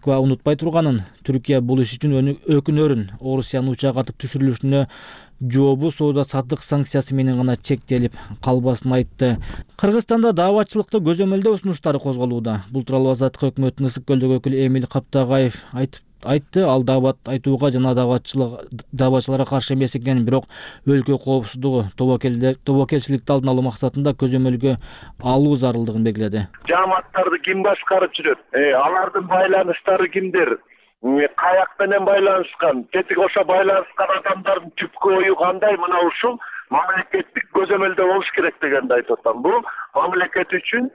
унутпай турганын, Түркия бул иш үчүн өкүнөрүн. Орусиянын учак атып түшүрүлүшүнө жообу соода саттык санкциясы менен гана чектелип калбасын айтты. Кыргызстанда дааватчылыкта көзөмөлдөө сунуштары козголууда. Бул тууралуу Азаттык өкмөттүн Ысык көлдөгү өкүлү Эмиль Каптагаев айтты. Ал даават айтууга жана дааватчыларга каршы эмес экенин, бирок өлкө коопсуздугу, тобокелчиликти алдын алуу максатында көзөмөлгө алуу зарылдыгын белгиледи. Жааматтарды ким башкарып жүрөт? Алардын байланыштары кимдер? Каяк менен байланышкан, тетиги кошо байланышкан адамдардын түпкү ою кандай? Мына ушул мамлекеттик көзөмөлдө болуш керек дегенди айтып атам. Бул мамлекет үчүн,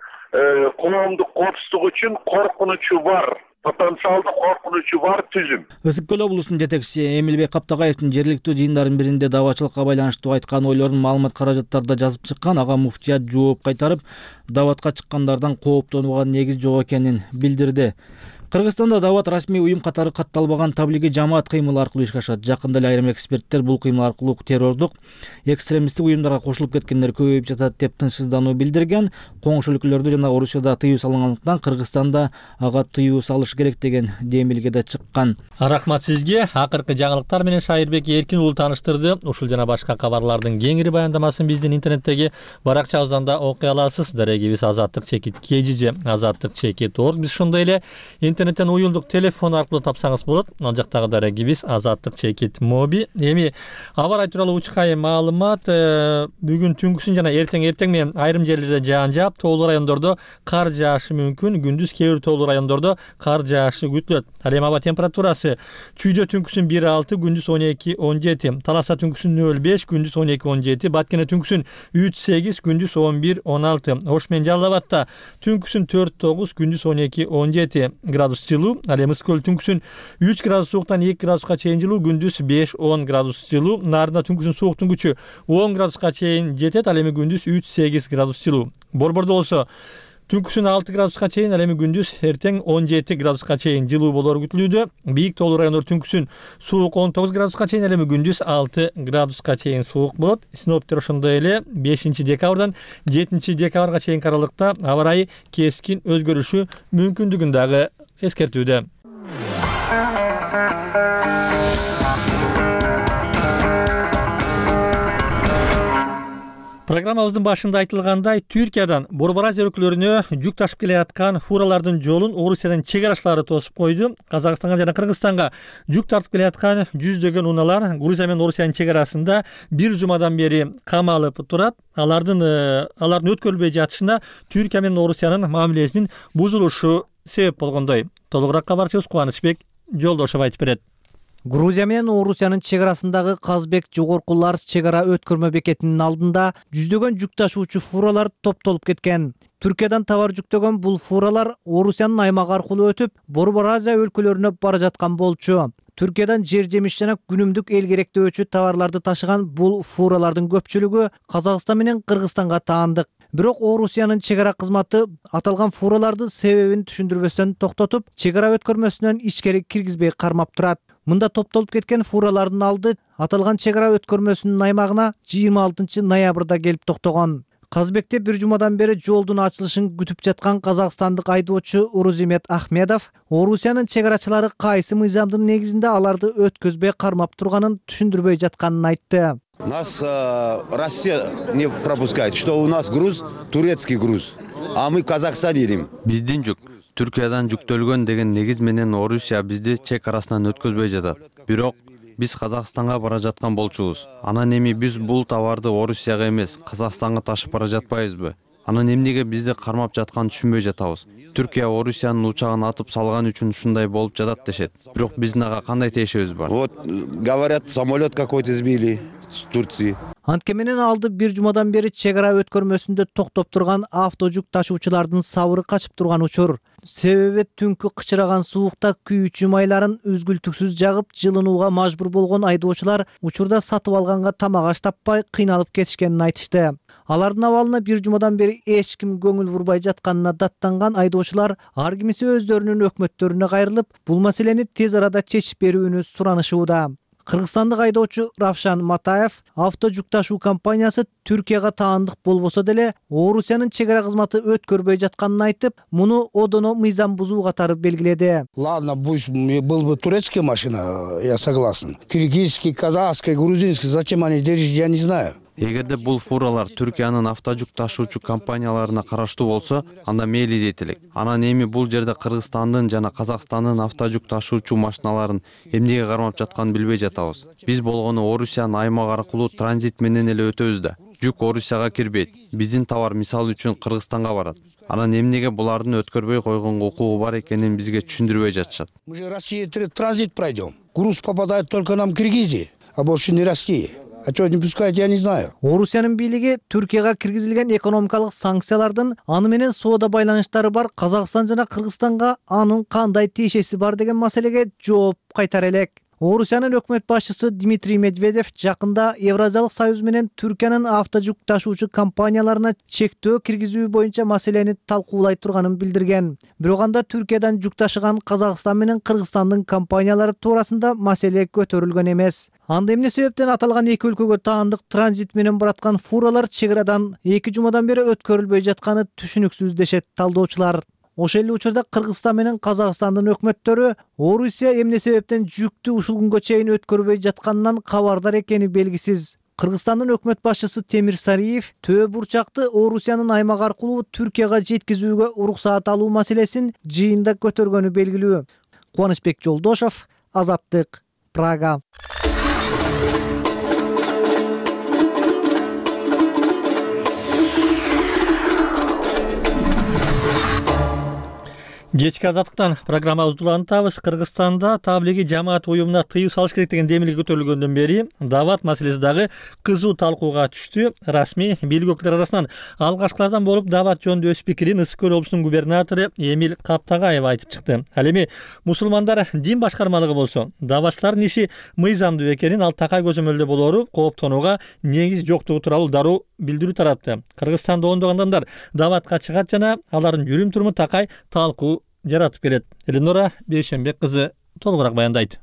коомдук коопсуздук үчүн коркунучу бар, потенциалдуу коркунучу бар түзүм. Ысык көл облусунун жетекчиси Эмилбек Каптагаевдин жергиликтүү жыйындардын биринде дааватчылыкка байланыштуу айткан ойлорун маалымат каражаттарда жазып чыккан. Ага муфтият жооп кайтарып, дааватка чыккандардан кооптонууга негиз жок экенин билдирди. Кыргызстанда даават расмий уюм катары катталбаган таблиги жамаат кыймылы аркылуу ишке ашат. Жакында эле айрым эксперттер бул кыймыл аркылуу террордук, экстремисттик уюмдарга кошулуп кеткендер көбөйүп жатат деп тынчсыздануу билдирген. Коңшу өлкөлөрдө жана Орусияда тыюу салынгандыктан Кыргызстанда ага тыюу салыш керек деген демилге да чыккан. Рахмат сизге. Акыркы жаңылыктар менен Шайырбек Эркин уулу тааныштырды. Ушул жана башка кабарлардын кеңири баяндамасын биздин интернеттеги баракчабыздан да окуй аласыз. Дарегибиз azattik.kgj, azattik.org. Биз ошондой эле интернеттен уюлдук телефон аркылуу тапсаңыз болот. Ал жактагы дарегибиз azattik.mobi. Эми аба ырайы тууралуу учкай маалымат. Бүгүн түнкүсүн жана эртең менен айрым жерлерде жаан жаап, тоолуу райондордо кар жаашы мүмкүн. Күндүз кээ бир тоолуу райондордо кар жаашы күтүлөт. Ал эми аба температурасы Чүйдө түнкүсүн 1-6, күндүз 12-17, Таласа түнкүсүн 0-5, күндүз 12-17, Баткене түнкүсүн 3-8, күндүз 11-16, Ош менен Жалал Абадта түнкүсүн 4-9, күндүз 12-17 градус жылуу. Ал эми Ысык көл түнкүсүн 3 градус сууктан 2 градуска чейин жылуу, күндүз 5-10 градус жылуу. Нарында түнкүсүн сууктун күчү 10 градуска чейин жетет. Ал эми күндүз 3-8 градус жылуу. Борбордо болсо түнкүсүн 6 градуска чейин, ал эми күндүз эртең 17 градуска чейин жылуу болору күтүлүүдө. Бийик тоолуу райондор түнкүсүн суук 19 градуска чейин, ал эми күндүз 6 градуска чейин суук болот. Синоптиктер ошондой эле 5-декабрдан 7-декабрга чейинки аралыкта аба ырайы кескин өзгөрүшү мүмкүндүгүн дагы эскертүүдө. Программабыздын башында айтылгандай, Түркиядан Борбор Азия өлкөлөрүнө жүк ташып келе аткан фуралардын жолун Орусиянын чек арачылары тосуп койду. Казакстанга жана Кыргызстанга жүк тартып келе аткан жүздөгөн унаалар Грузия менен Орусиянын чек арасында бир жумадан бери камалып турат. Алардын өткөрүлбөй жатышына Түркия менен Орусиянын мамилесинин бузулушу себеп болгондой. Толугураак кабарчыбыз Кубанычбек Жолдошов айтып берет. Грузия менен Орусиянын чек арасындагы Казбек жогорку Ларс чек ара өткөрмө бекетинин алдында жүздөгөн жүк ташуучу фуралар топтолуп кеткен. Түркиядан товар жүктөгөн бул фуралар Орусиянын аймагы аркылуу өтүп, Борбор Азия өлкөлөрүнө бара жаткан болчу. Түркиядан жер жемиш жана күнүмдүк эл керектөөчү товарларды ташыган бул фуралардын көпчүлүгү Казакстан менен Кыргызстанга таандык. Бирок Орусиянын чек ара кызматы аталган фураларды себебин түшүндүрбөстөн токтотуп, чек ара өткөрмөсүнөн ичкери киргизбей кармап турат. Мында топтолуп кеткен фуралардын алды аталган чек ара өткөрмөсүнүн аймагына 26 ноябрда келип токтогон. Казбекте бир жумадан бери жолдун ачылышын күтүп жаткан казакстандык айдоочу Урузимет Ахмедов Орусиянын чек арачылары кайсы мыйзамдын негизинде аларды өткөзбөй кармап турганын түшүндүрбөй жатканын айтты. Нас Россия не пропускает, что у нас груз турецкий груз, а мы в Казахстан едем. Биздин жүк Түркиядан жүктөлгөн деген негиз менен Орусия бизди чек арасынан өткөзбөй жатат. Бирок биз Казакстанга бара жаткан болчубуз. Анан эми биз бул товарды Орусияга эмес, Казакстанга ташып бара жатпайбызбы? Анан эмнеге бизди кармап жатканын түшүнбөй жатабыз. Түркия Орусиянын учагын атып салган үчүн ушундай болуп жатат дешет. Бирок биздин ага кандай тиешебиз бар? Вот говорят, самолет какой-то сбили с Турции. Антке менен алды бир жумадан бери чек ара өткөрмөсүндө токтоп турган автожүк ташуучулардын сабыры качып турган учур. Себеби түнкү кычыраган суукта күйүүчү майларын үзгүлтүксүз жагып жылынууга мажбур болгон айдоочулар учурда сатып алганга тамак аш таппай кыйналып кетишкенин айтышты. Алардын абалына бир жумадан бери эч ким көңүл бурбай жатканына даттанган айдоочулар ар кимиси өздөрүнүн өкмөттөрүнө кайрылып, бул маселени тез арада чечип берүүнү суранышууда. Кыргызстандык айдоочу Равшан Матаев авто жүк ташуу компаниясы Түркияга таандык болбосо деле Орусиянын чек ара кызматы өткөрбөй жатканын айтып, муну одоно мыйзам бузуу катары белгиледи. Ладно, пусть был бы турецкая машина, я согласен. Киргизский, казахский, грузинский, зачем они держат, я не знаю. Эгерде бул фуралар Түркиянын автожүк ташуучу компанияларына караштуу болсо, анда мейли дейт элек. Анан эми бул жерде Кыргызстандын жана Казакстандын автожүк ташуучу машиналарын эмнеге кармап жатканын билбей жатабыз. Биз болгону Орусиянын аймак аркылуу транзит менен эле өтөбүз да. Жүк Орусияга кирбейт. Биздин товар мисалы үчүн Кыргызстанга барат. Анан эмнеге булардын өткөрбөй койгонго укугу бар экенин бизге түшүндүрбөй жатышат. Мы же Россия транзит пройдем. Груз попадает только нам в Киргизии, а больше не Россия. А что не пускать, я не знаю. Орусиянын бийлиги Түркияга киргизилген экономикалык санкциялардын аны менен соода байланыштары бар Казакстан жана Кыргызстанга анын кандай тиешеси бар деген маселеге жооп кайтара элек. Орусиянын өкмөт башчысы Дмитрий Медведев жакында Евразиялык союз менен Түркиянын автожүк ташуучу компанияларына чектөө киргизүү боюнча маселени талкуулай турганын билдирген. Бирок анда Түркиядан жүк ташыган Казакстан менен Кыргызстандын компаниялары туурасында маселе көтөрүлгөн эмес. Анда эмне себептен аталган эки өлкөгө таандык транзит менен бараткан фуралар чек арадан 2 жумадан бери өткөрүлбөй жатканы түшүнүксүз дешет талдоочулар. Ошол эле учурда Кыргызстан менен Казакстандын өкмөттөрү Орусия эмне себептен жүктү ушул күнгө чейин өткөрбөй жатканынан кабардар экени белгисиз. Кыргызстандын өкмөт башчысы Темир Сариев Төө бурчакты Орусиянын аймак аркылуу Түркияга жеткизүүгө уруксаат алуу маселесин жыйында көтөргөнү белгилүү. Кубанычбек Жолдошов, Азаттык, Прага. Кечки Азаттыктан программабызды улантабыз. Кыргызстанда таблиги жамаат уюмуна тыюу салыш керек деген демилги көтөрүлгөндөн бери дават маселеси дагы кызуу талкууга түштү. Расмий бийлик өкүлдөрү арасынан алгачкылардан болуп дават жөнүндө өз пикирин Ысык Көл облусунун губернатору Эмил Каптагаев айтып чыкты. Ал эми мусулмандар дин башкармалыгы болсо даватчылардын иши мыйзамдуу экенин, ал такай көзөмөлдө болоору кооптонууга негиз жоктугу тууралуу дароо билдирүү таратты. Кыргызстанда ондогон адамдар даватка чыгат жана алардын жүрүм туруму такай талкуу жаратып келет. Эленора Бейшенбек кызы толугураак баяндайт.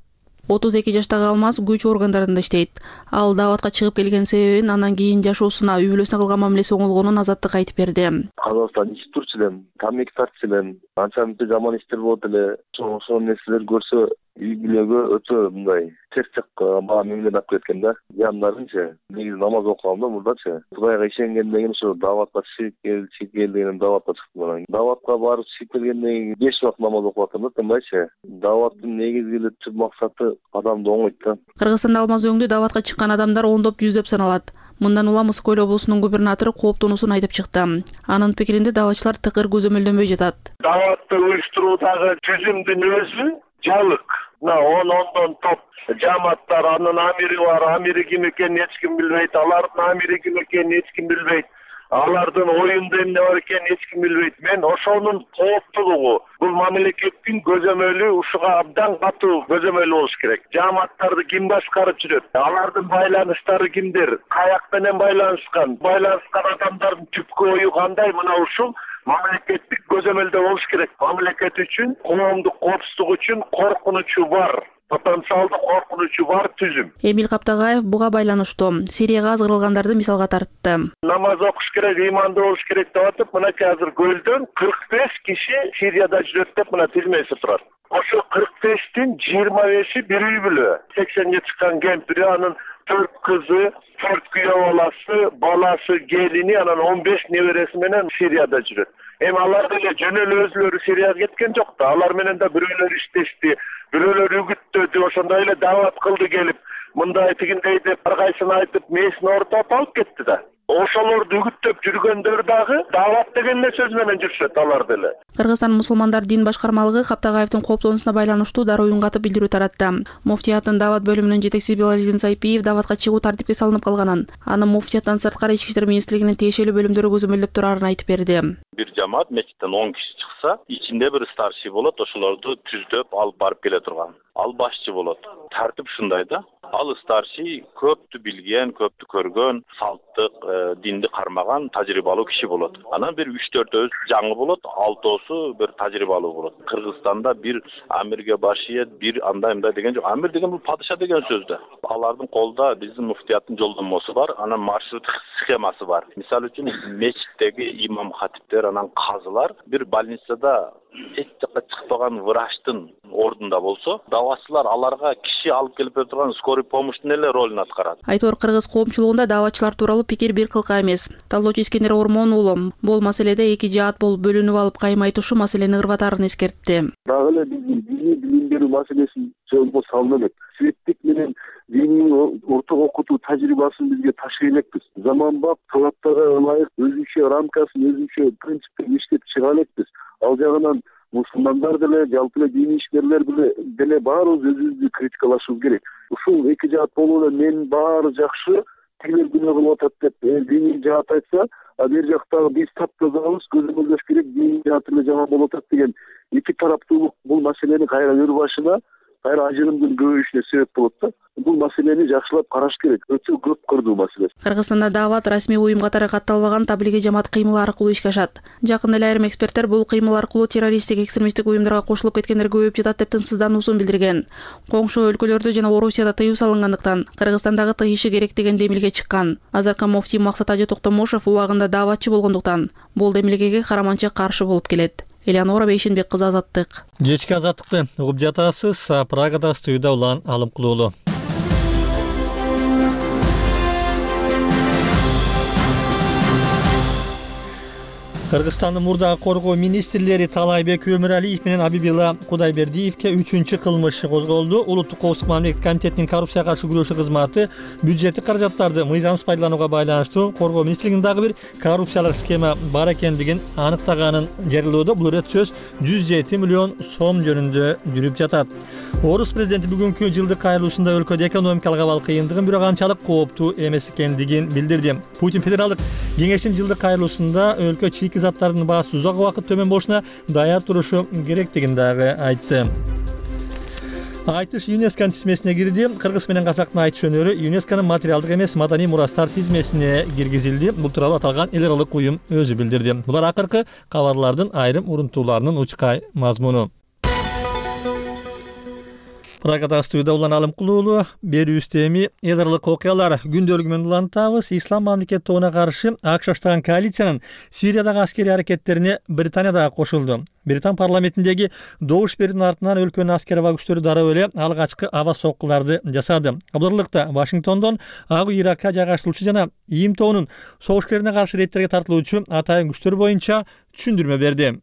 32 жаштагы Алмаз күч органдарында иштейт. Ал даватка чыгып келген себебин анан кийин жашоосуна, үй бүлөсүнө кылган мамилеси оңолгонун Азаттыкка айтып берди. Казакстан ичип турчу элем, тамеки тартчу элем, анча-мынча жаман иштер болот эле. Ошол нерселер көрсө үй бүлөгө өтө мындай терс жакка мамиле алып кеткен да. Жандарынча негизи намаз окугам да мурдачы. Кудайга ишенгенден кийин ошо даватка чыгып кел деген даватка чыктым анан. Даватка барып чыгып келгенден кийин 5 убакыт намаз окуп атам да, тынбайчы. Даваттын негизги эле түп максаты адамды оңойт да. Кыргызстанда Алмаз өңдү даватка чыккан адамдар ондоп, жүздөп саналат. Мындан улам Ысык Көл облусунун губернатору кооптонуусун айтып чыкты. Анын пикиринде даватчылар тыкыр көзөмөлдөнбөй жатат. Даватты уюштуруудагы түзүмдүн өзү жалык. Ондон топ жамааттар, анын амири бар, амири ким экенин эч ким билбейт, алардын амири ким экенин эч ким билбейт. Алардын оюнда эмне бар экенин эч ким билбейт. Мен ошонун кооптуулугу, бул мамлекеттин көзөмөлү ушуга абдан катуу көзөмөлү болуш керек. Жамааттарды ким башкарып жүрөт? Алардын байланыштары кимдер? Каяк менен байланышкан адамдардын түпкү ою кандай? Мына ушул мамлекеттик көзөмөлдө болуш керек. Мамлекет үчүн, коомдук коопсуздук үчүн коркунучу бар. Потенциалдуу коркунучу бар түзүм. Эмил Каптагаев буга байланыштуу Сирияга азгырылгандарды мисалга тартты. Намаз окуш керек, имандуу болуш керек деп атып, мынакей азыр көлдөн 45 киши Сирияда жүрөт деп мына тилмеси турат. Ошо 45тин 25и бир үй бүлө. 80 чыккан кемпири, анын 4 кызы, 4 күйөө баласы, келини, анан 15 небереси менен Сирияда жүрөт. Эми алар деле жөн эле өзүлөрү Сирияга кеткен жок да. Алар менен да бирөөлөр иштешти, бирөөлөр үгүттөдү, ошондой эле дават кылды келип, мындай тигиндей деп ар кайсысын айтып, мээсин ортоп алып кетти да. Ошолорду үгүттөп жүргөндөр дагы дават деген эле сөз менен жүрүшөт алар деле. Кыргызстан мусулмандар дин башкармалыгы Каптагаевдин кооптонуусуна байланыштуу дароо үн-катып билдирүү таратты. Муфтияттын дават бөлүмүнүн жетекчиси Белалидин Сайпиев даватка чыгуу тартипке салынып калганын, анын муфтияттан сырткары ички иштер министрлигинин тиешелүү бөлүмдөрү көзөмөлдөп турарын айтып берди. Бир жамаат мечиттен 10 киши чыкса, ичинде бир старший болот, ошолорду түздөп алып барып келе турган. Ал башчы болот. Тартип ушундай да. Ал старший көптү билген, көптү көргөн, салттык, динди кармаган тажрыйбалуу киши болот. Анан бир 3-4 жаңы болот, 6 бир тажрыйбалуу болот. Кыргызстанда бир амирге башиет, бир андай деген жок. Амир деген бул падыша деген сөз да. Алардын колдо биздин муфтияттын жолдомосу бар, анан маршрут схемасы бар. Мисалы үчүн мечиттеги имам хатиптер, анан казылар бир больницада эч жакка чыкпаган врачтын ордунда болсо, даватчылар аларга киши алып келип бере турган скорый помощьтун эле ролун аткарат. Айтор кыргыз коомчулугунда даватчылар тууралуу пикир бир кылка эмес. Талоочу Искендер Ормон уулу бул маселеде эки жаат болуп бөлүнүп алып кайым айтушу маселени ырбатаарын эскертти. Дагы эле биздин диний билим берүү маселесин жолго салып элек. Светтик менен диний орток окутуу тажрыйбасын бизге ташый элекпиз. Заманбап талаптарга ылайык өзүнчө рамкасын, өзүнчө принциптерин иштеп чыга элекпиз. Ал жагынан мусулмандар деле, жалпы эле диний ишкерлер деле баарыбыз өзүбүздү критикалашыбыз керек. Ушул эки жаат болуп эле мен баары жакшы, тигилер күнөө кылып атат деп диний жаат айтса, а бер жактагы биз таптазабыз, көзөмөлдөш керек, диний жаат эле жаман болуп атат деген эки тараптуулук бул маселени кайра өр башына, кайра ажырымдын көбөйүшүнө себеп болот да. Бул маселени жакшылап караш керек. Өтө көп кырдуу маселе. Кыргызстанда дават расмий уюм катары катталбаган таблиги жамаат кыймыл аркылуу ишке ашат. Жакында эле айрым эксперттер бул кыймыл аркылуу террористтик, экстремисттик уюмдарга кошулуп кеткендер көбөйүп жатат деп тынчсыздануусун билдирген. Коңшу өлкөлөрдө жана Орусияда тыюу салынгандыктан Кыргызстандагы тыйышы керек деген демилге чыккан. Азыркы муфтий Максат Ажы Токтомушев убагында даватчы болгондуктан бул демилгеге караманча каршы болуп келет. Элеонора Бейшенбек кызы, Азаттык. Кечки Азаттыкты угуп жатасыз. Прагада студияда Улан Алымкулуулу. Кыргызстандын мурдагы коргоо министрлери Талайбек Өмүралиев менен Абибилла Кудайбердиевке 3-чү кылмыш козголду. Улуттук коопсуздук мамлекеттик комитетинин коррупцияга каршы күрөшүү кызматы бюджеттик каражаттарды мыйзамсыз пайдаланууга байланыштуу коргоо министрлигинин дагы бир коррупциялык схема бар экендигин аныктаганын жарыялоодо. Бул ирет сөз 107 миллион сом жөнүндө жүрүп жатат. Орус президенти бүгүнкү жылдык кайрылуусунда өлкөдө экономикалык абал кыйындыгын, бирок анчалык кооптуу эмес экендигин билдирди. Путин федералдык кеңештин жылдык кайрылуусунда өлкө чийки заттардын баасы узак убакыт төмөн болушуна даяр турушу керектигин дагы айтты. Айтыш ЮНЕСКОнун тизмесине кирди. Кыргыз менен казактын айтыш өнөрү ЮНЕСКОнун материалдык эмес маданий мурастар тизмесине киргизилди. Бул тууралуу аталган эл аралык уюм өзү билдирди. Булар акыркы кабарлардын айрым урунтууларынын учкай мазмуну. Прагада студияда Улан Алымкулуулу. Берүүбүздө эми эл аралык окуялар күндөлүгү менен улантабыз. Ислам мамлекет тобуна каршы АКШ баштаган коалициянын Сириядагы аскерий аракеттерине Британия да кошулду. Британ парламентиндеги добуш берүүнүн артынан өлкөнүн аскер аба күчтөрү дароо эле алгачкы аба соккуларды жасады. Кабарлыкта Вашингтондон Ак үй Иракка жайгаштырылуучу жана ИИМ тобунун согуш-келине каршы рейдтерге тартылуучу атайын күчтөр боюнча түшүндүрмө берди.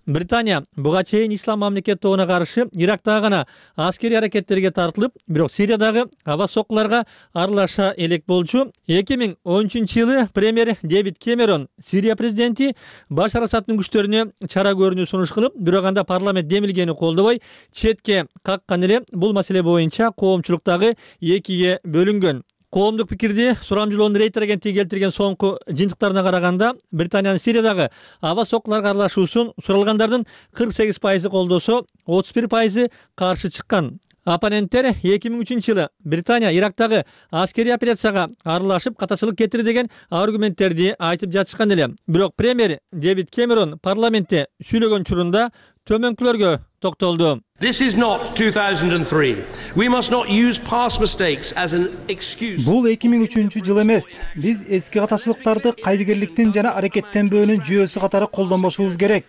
Британия буга чейин Ислам мамлекет тобуна каршы Ирактагы гана аскерий аракеттерге тартылып, бирок Сириядагы аба соккуларга аралаша элек болчу. 2013-жылы премьер Дэвид Кэмерон Сирия президенти Башар Асадтын күчтөрүнө чара көрүүнү сунуш кылып, бирок анда парламент демилгени колдобой четке каккан эле. Бул маселе боюнча коомчулуктагы экиге бөлүнгөн. Коомдук пикирди сурамжылоонун Рейтер агенттиги келтирген соңку жыйынтыктарына караганда, Британиянын Сириядагы аба соккуларга аралашуусун суралгандардын 48% колдосо, 31% каршы чыккан. Оппоненттер 2003-жылы Британия Ирактагы аскерий операцияга аралашып катачылык кетирди деген аргументтерди айтып жатышкан эле. Бирок премьер Дэвид Кэмерон парламентте сүйлөгөн учурунда төмөнкүлөргө токтолду. This is not 2003. We must not use past mistakes as an excuse. Бул 2003-жыл эмес. Биз эски катачылыктарды кайдыгерликтин жана аракеттенбөөнүн жүйөсү катары колдонбошубуз керек.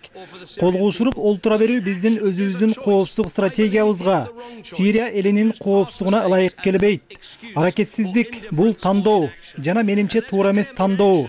Колго учуруп олтура берүү биздин өзүбүздүн коопсуздук стратегиябызга, Сирия элинин коопсуздугуна ылайык келбейт. Аракетсиздик бул тандоо жана менимче туура эмес тандоо.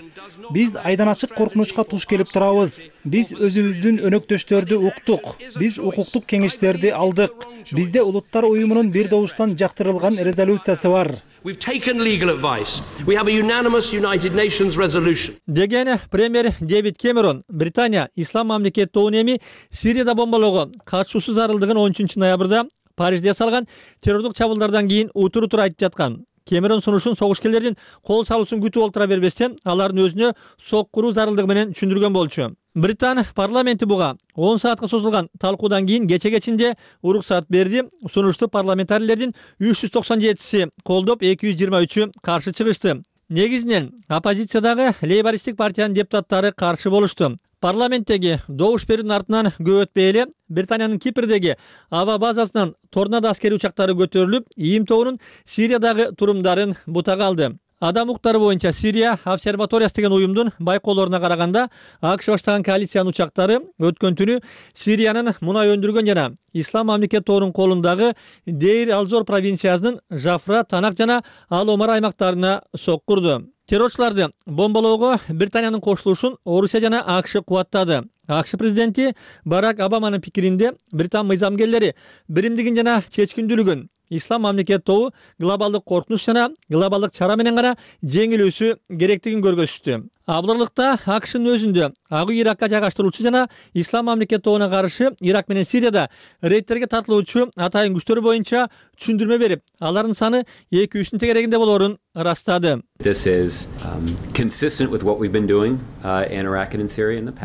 Биз айдан ачык коркунучка туш келип турабыз. Биз өзүбүздүн өнөктөштөрдү уктук. Биз укуктук кеңештерди алдык. Бизде улуттар уюмунун бир добуштан жактырылган резолюциясы бар. We've taken legal advice. We have a unanimous United Nations resolution. Деген премьер Дэвид Кэмерон Британия Ислам мамлекет тобун эми Сирияда бомбалоого катышуусу зарылдыгын 13 ноябрда Парижде салган террордук чабуулдардан кийин утур айтып жаткан. Кэмерон сунушун согушкерлердин кол салуусун күтүп олтура бербестен алардын өзүнө сок куруу зарылдыгы менен түшүндүргөн болчу. Британ парламенти буга 10 саатка созулган талкуудан кийин кече кечинде уруксат берди. Сунушту парламентарийлердин 397си колдоп, 223-ү каршы чыгышты. Негизинен оппозициядагы лейбористтик партиянын депутаттары каршы болушту. Парламенттеги добуш берүүнүн артынан көп өтпөй эле Британиянын Кипрдеги аба базасынан торнадо аскери учактары көтөрүлүп, ИИМ тобунун Сириядагы турумдарын бутага алды. Адам укуктары боюнча Сирия обсерваториясы деген уюмдун байкоолоруна караганда АКШ баштаган коалициянын учактары өткөн түнү Сириянын мунай өндүргөн жана Ислам мамлекет тобунун колундагы Дейр Алзор провинциясынын Жафра, Танак жана Ал-Омар аймактарына соккурду. Террорчуларды бомбалоого Британиянын кошулушун Орусия жана АКШ кубаттады. АКШ президенти Барак Обаманын пикиринде Британ мыйзамгерлери биримдигин жана чечкиндүүлүгүн Ислам мамлекет тобу глобалдык коркунуч жана глобалдык чара менен гана жеңилүүсү керектигин көргөзүштү. Абдырлыкта АКШнын өзүндө Ак үй Иракка жайгаштыруучу жана Ислам мамлекет тобуна каршы Ирак менен Сирияда рейдтерге тартылуучу атайын күчтөр боюнча түшүндүрмө берип, алардын саны 200-үн тегерегинде болоорун ырастады.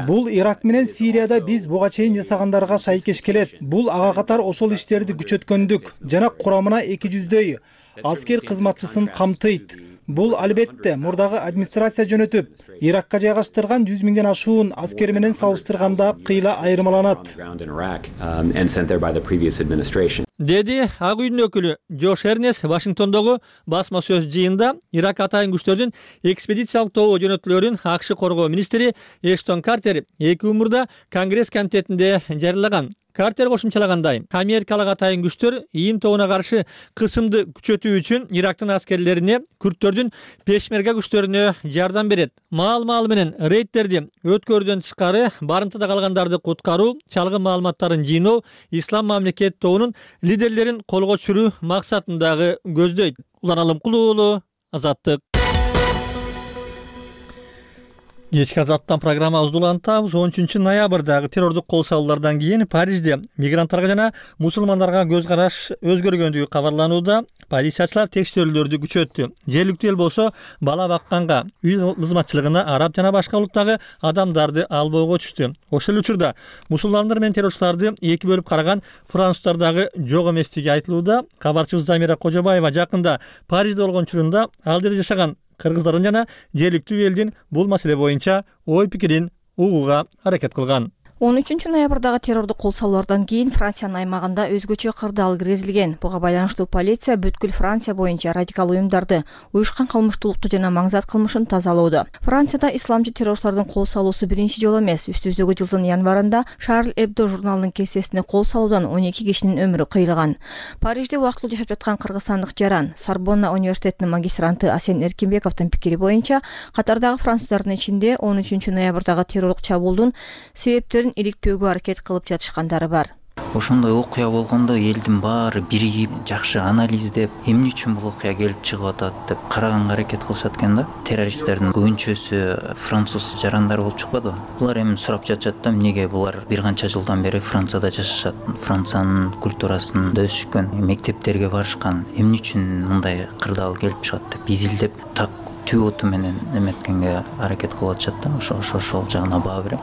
Бул Ирак менен Сирияда биз буга чейин жасагандарга шайкеш келет. Бул ага катар ошол иштерди күчөткөндүк жана курамына 200дөй аскер кызматчысын камтыйт. Бул албетте мурдагы администрация жөнөтүп, Иракка жайгаштырган 100 миңден ашуун аскер менен салыштырганда кыйла айырмаланат. Деди Ак үйдүн өкүлү Джош Эрнес Вашингтондогу басма сөз жыйында Ирак атайын күчтөрдүн экспедициялык тобу жөнөтүлөрүн АКШ коргоо министри Эштон Картер 2 мурда Конгресс комитетинде жарыялаган. Картер кошумчалагандай, америкалык атайын күчтөр ИИМ тобуна каршы кысымды күчөтүү үчүн Ирактын аскерлерине, күрттөрдүн пешмерга күчтөрүнө жардам берет. Маал менен рейдтерди өткөрүүдөн тышкары барымтада калгандарды куткаруу, чалгын маалыматтарын жыйноо Ислам мамлекет тобунун лидерлерин колго түшүрүү максатындагы көздөйт. Улан Алымкулуу уулу, Азаттык. Кечки Азаттан программабызды улантабыз. 13 ноябрдагы террордук кол салуулардан кийин Парижде мигранттарга жана мусулмандарга көз караш өзгөргөндүгү кабарланууда. Полициячылар текшерүүлөрдү күчөттү. Жергиликтүү эл болсо бала бакканга, үй кызматчылыгына араб жана башка улуттагы адамдарды албоого түштү. Ошол учурда мусулмандар менен террорчуларды эки бөлүп караган француздардагы жок эместиги айтылууда. Кабарчыбыз Замира Кожобаева жакында Парижде болгон учурунда ал жерде жашаган кыргыздардын жана жергиликтүү элдин бул маселе боюнча ой пикирин угууга аракет кылган. 13 ноябрдагы террордук кол салуулардан кийин Франциянын аймагында өзгөчө кырдаал киргизилген. Буга байланыштуу полиция бүткүл Франция боюнча радикал уюмдарды, уюшкан кылмыштуулукту жана маңзат кылмышын тазалоодо. Францияда исламчы террористтердин кол салуусу биринчи жолу эмес. Үстүбүздөгү жылдын январында Шарль Эбдо журналынын кесесине кол салуудан 12 кишинин өмүрү кыйылган. Парижде убактылуу жашап жаткан кыргызстандык жаран Сорбонна университетинин магистранты Асен Эркинбековдун пикири боюнча, катардагы француздардын ичинде 13 ноябрдагы террорлук чабуулдун себептерин иликтөөгө аракет кылып жатышкандары бар. Ошондой окуя болгондо элдин баары биригип, жакшы анализдеп, эмне үчүн бул окуя келип чыгып атат деп караганга аракет кылышат экен да. Террористтердин көбүнчөсү француз жарандары болуп чыкпадыбы? Булар эми сурап жатышат да, эмнеге булар бир канча жылдан бери Францияда жашашат, Франциянын культурасында өсүшкөн, мектептерге барышкан, эмне үчүн мындай кырдаал келип чыгат деп изилдеп, так түбөтү менен эметкенге аракет кылып атышат да. Ошол жагына баа берем.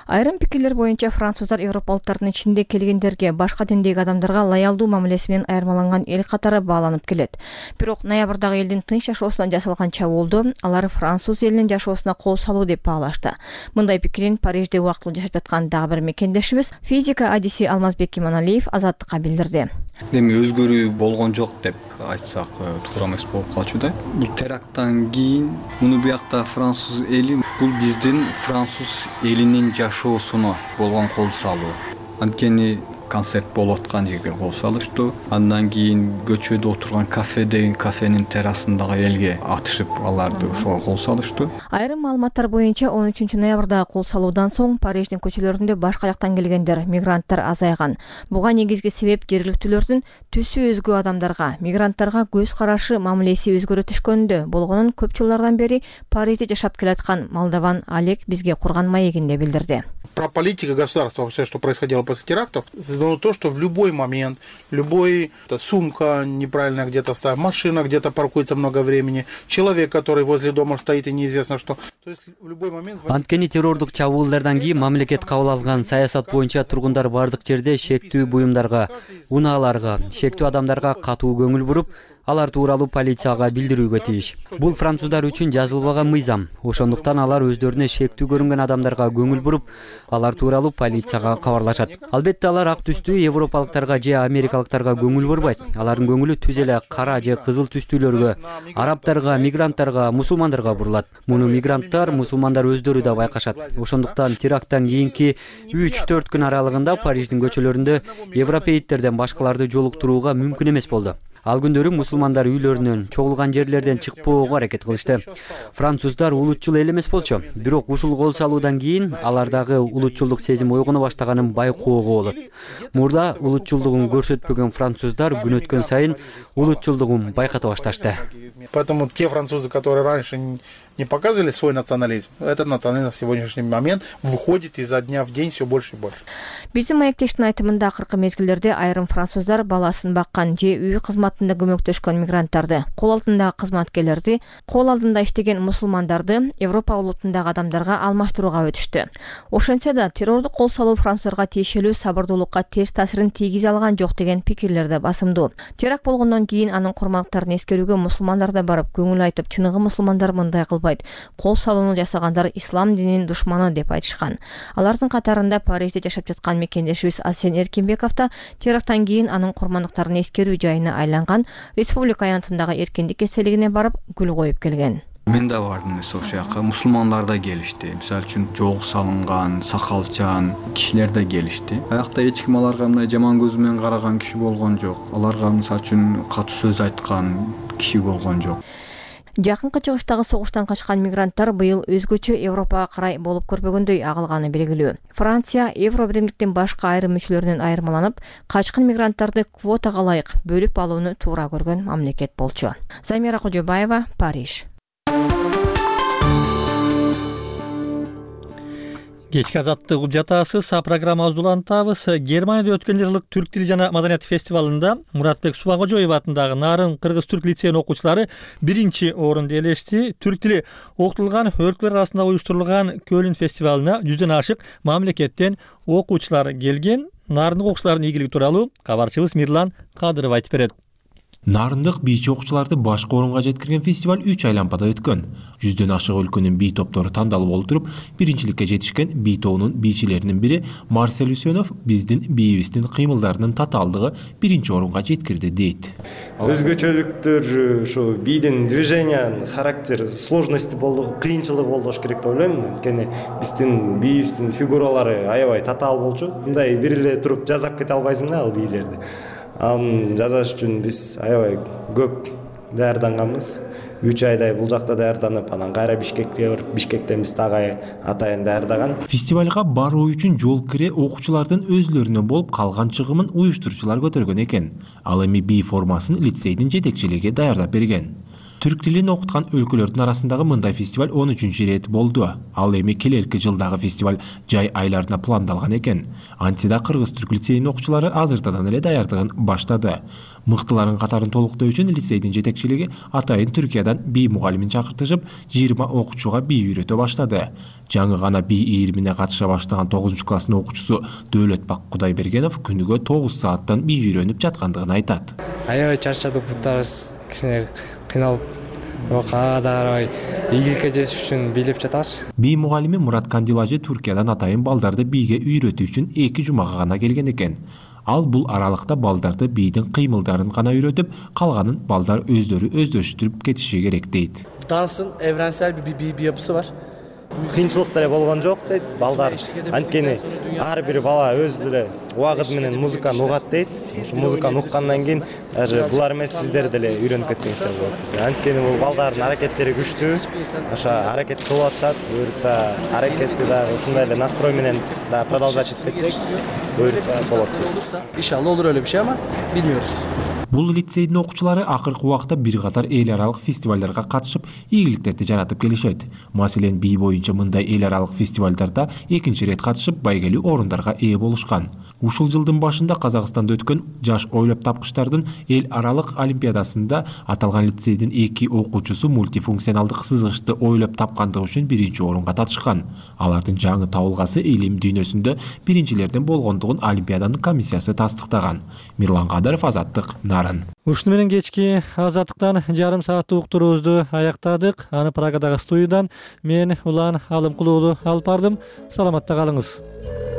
Айрым пикирлер боюнча француздар европалыктардын ичинде келгендерге башка диндеги адамдарга лоялдуу мамилеси менен айырмаланган эл катары бааланып келет. Бирок ноябрдагы элдин тынч жашоосуна жасалган чабуулду алар француз элинин жашоосуна кол салуу деп баалашты. Мындай пикирин Парижде убактылуу жашап жаткан дагы бир мекендешибиз физика адиси Алмазбек Иманалиев Азаттыкка билдирди. Эми өзгөрүү болгон жок деп айтсак туура эмес болуп калчу да. Бул теракттан кийин муну биякта француз эли бул биздин француз элинин жашоосуна болгон кол салуу. Анткени концерт болуп аткан жерге кол салыштуу. Андан кийин көчөдө отурган кафенин террасындагы элге атышып аларды ошого кол салыштуу. Айрым маалыматтар боюнча 13 ноябрдагы кол салуудан соң Париждин көчөлөрүндө башка жактан келгендер, мигранттар азайган. Буга негизги себеп жергиликтүүлөрдүн түсү өзгө адамдарга, мигранттарга көз карашы, мамилеси өзгөрө түшкөндө болгонун көп жылдардан бери Парижде жашап келаткан молдован Олег бизге курган маегинде билдирди. Про политику государства, все, что происходило после терактов, дано то, что в любой момент, любой сумка неправильно где-то стоит, машина где-то паркуется много времени, человек, который возле дома стоит и неизвестно что. То есть в любой момент... Анткени террордук чабуулдардан кийин мамлекет кабыл алган саясат боюнча тургундар бардык жерде шектүү буюмдарга, унааларга, шектүү адамдарга катуу көңүл буруп, алар тууралуу полицияга билдирүүгө тийиш. Бул француздар үчүн жазылбаган мыйзам. Ошондуктан алар өздөрүнө шектүү көрүнгөн адамдарга көңүл буруп, алар тууралуу полицияга кабарлашат. Албетте алар ак түстүү европалыктарга же америкалыктарга көңүл бурбайт. Алардын көңүлү түз эле кара же кызыл түстүүлөргө, арабтарга, мигранттарга, мусулмандарга бурулат. Муну мигранттар, мусулмандар өздөрү да байкашат. Ошондуктан теракттан кийинки 3-4 күн аралыгында Париждин көчөлөрүндө европейттерден башкаларды жолуктурууга мүмкүн эмес болду. Ал күндөрү мусулмандар үйлөрүнөн, чогулган жерлерден чыкпоого аракет кылышты. Француздар улутчул эл эмес болчу, бирок ушул кол салуудан кийин алардагы улутчулдук сезим ойгоно баштаганын байкоого болот. Мурда улутчулдугун көрсөтпөгөн француздар күн өткөн сайын улутчулдугун байката башташты. Поэтому те французы, которые раньше не показывали свой национализм, этот национализм в сегодняшний момент выходит изо дня в день все больше и больше. Биздин маектештин айтымында акыркы мезгилдерде айрым француздар баласын баккан же үй кызматында көмөктөшкөн мигранттарды, кол алдындагы кызматкерлерди, кол алдында иштеген мусулмандарды Европа улутундагы адамдарга алмаштырууга өтүштү. Ошентсе да террордук кол салуу француздарга тиешелүү сабырдуулукка терс таасирин тийгизе алган жок деген пикирлер да басымдуу. Теракт болгондон кийин анын курмандыктарын эскерүүгө мусулмандар да барып көңүл айтып, чыныгы мусулмандар мындай кылбайт. Кол салууну жасагандар ислам дининин душманы деп айтышкан. Алардын катарында Парижде жашап жаткан мекендешибиз Асен Эркинбеков да теракттан кийин анын курмандыктарын эскерүү жайына айланган Республика аянтындагы эркиндик эстелигине барып гүл коюп келген. Мен да бардым ошол жака, мусулмандар да келишти. Мисалы үчүн жол салынган, сакалчан кишилер да келишти. Аякта эч ким аларга мындай жаман көз менен караган киши болгон жок. Аларга мисалы үчүн катуу сөз айткан киши болгон жок. Жакынкы чыгыштагы согуштан качкан мигранттар быйыл өзгөчө Европага карай болуп көрбөгөндөй агылганы белгилүү. Франция Евробиримдиктин башка айрым мүчөлөрүнөн айырмаланып, качкан мигранттарды квотага ылайык бөлүп алууну туура көргөн мамлекет болчу. Замира Кожобаева, Париж. Кечки азаттык жатасыз, программабызды улантабыз. Германияда өткөн жылдык түрк тили жана маданият фестивалында Муратбек Субагожоев атындагы Нарын кыргыз-түрк лицейинин окуучулары 1-чи орунду ээлешти. Түрк тили окутулган өлкөлөр арасында уюштурулган Көлүн фестивалына 100дөн ашык мамлекеттен окуучулар келген. Нарындык окуучулардын ийгилиги тууралуу кабарчыбыз Мирлан Кадыров айтып берет. Нарындык бийчи окуучуларды башкы орунга жеткирген фестиваль 3 айланпада өткөн. 100дөн ашык өлкөнүн бий топтору тандалып олтуруп, биринчиликке жетишкен бий тобунун бийчилеринин бири Марсель Үсөнов биздин бийибиздин кыймылдарынын татаалдыгы 1-чи орунга жеткирди дейт. Өзгөчөлүктөр ушу бийдин движениянын характери, сложности болду, кыйынчылыгы болду керек деп ойлойм. Анткени биздин бийибиздин фигуралары аябай татаал болчу. Мындай бир эле туруп жазап кете албайсың да ал бийлерди. Аны жазаш үчүн биз аябай көп даярданганбыз. 3 айдай бул жакта даярданып, анан кайра Бишкекке барып, Бишкектен биз дагы атайын даярдаган. Фестивалга баруу үчүн жол кире окуучулардын өзлөрүнөн болуп калган чыгымын уюштуруучулар көтөргөн экен. Ал эми бий формасын лицейдин жетекчилиги даярдап берген. Түрк тилин окуткан өлкөлөрдүн арасындагы мындай фестиваль 13-чү ирет болду. Ал эми келерки жылдагы фестиваль жай айларына пландалган экен. Антида кыргыз-түрк лицейинин окуучулары азыртадан эле даярдыгын баштады. Мыктыларын катарын толуктоо үчүн лицейдин жетекчилиги атайын Түркиядан бий мугалимин чакыртышып, 20 окуучуга бий үйрөтө баштады. Жаңы гана бий ийримине катыша баштаган 9-класстын окуучусу Дөөлөтбак Кудайбергенов күнүгө 9 сааттан бий үйрөнүп жаткандыгын айтат. Аябай чарчадык, буттарыбыз кичине кыйналып, бирок ага да карабай ийгиликке жетиш үчүн бийлеп жатабыз. Бий мугалими Мурат Кандилажы Түркиядан атайын балдарды бийге үйрөтүү үчүн 2 жумага гана келген экен. Ал бул аралыкта балдарды бийдин кыймылдарын гана үйрөтүп, калганын балдар өздөрү өздөштүрүп кетиши керек дейт. Тансын эвренсел бий yapısı var. Кыйынчылык деле болгон жок дейт балдар. Анткени ар бир бала өз деле убагыт менен музыканы угат дейт. Музыканы уккандан кийин даже булар эмес сиздер деле үйрөнүп кетсеңиздер болот. Анткени бул балдардын аракеттери күчтүү. Аша аракет кылып атышат. Буюрса аракетти да ушундай эле настрой менен да продолжать этип кетсек, буюрса болот. İnşallah olur öyle bir şey ama bilmiyoruz. Бул лицейдин окуучулары акыркы убакта бир катар эл аралык фестивалдарга катышып, ийгиликтерди жаратып келишет. Маселен, би боюнча мындай эл аралык фестивалдарда экинчи рет катышып, байгелүү орундарга ээ болушкан. Ушул жылдын башында Казакстанда өткөн жаш ойлоп тапкычтардын эл аралык олимпиадасында аталган лицейдин 2 окуучусу мультифункционалдык сызгычты ойлоп тапкандыгы үчүн биринчи орунга татышкан. Алардын жаңы табылгасы илим дүйнөсүндө биринчилерден болгондугун олимпиаданын комиссиясы тастыктаган. Мирлан Кадыров, Азаттык, Нарын. Ушуну менен кечки Азаттыктан жарым сааттык уктуруубузду аяктадык. Аны Прагадагы студиядан мен Улан Алымкулуулу алып бардым. Саламатта калыңыз.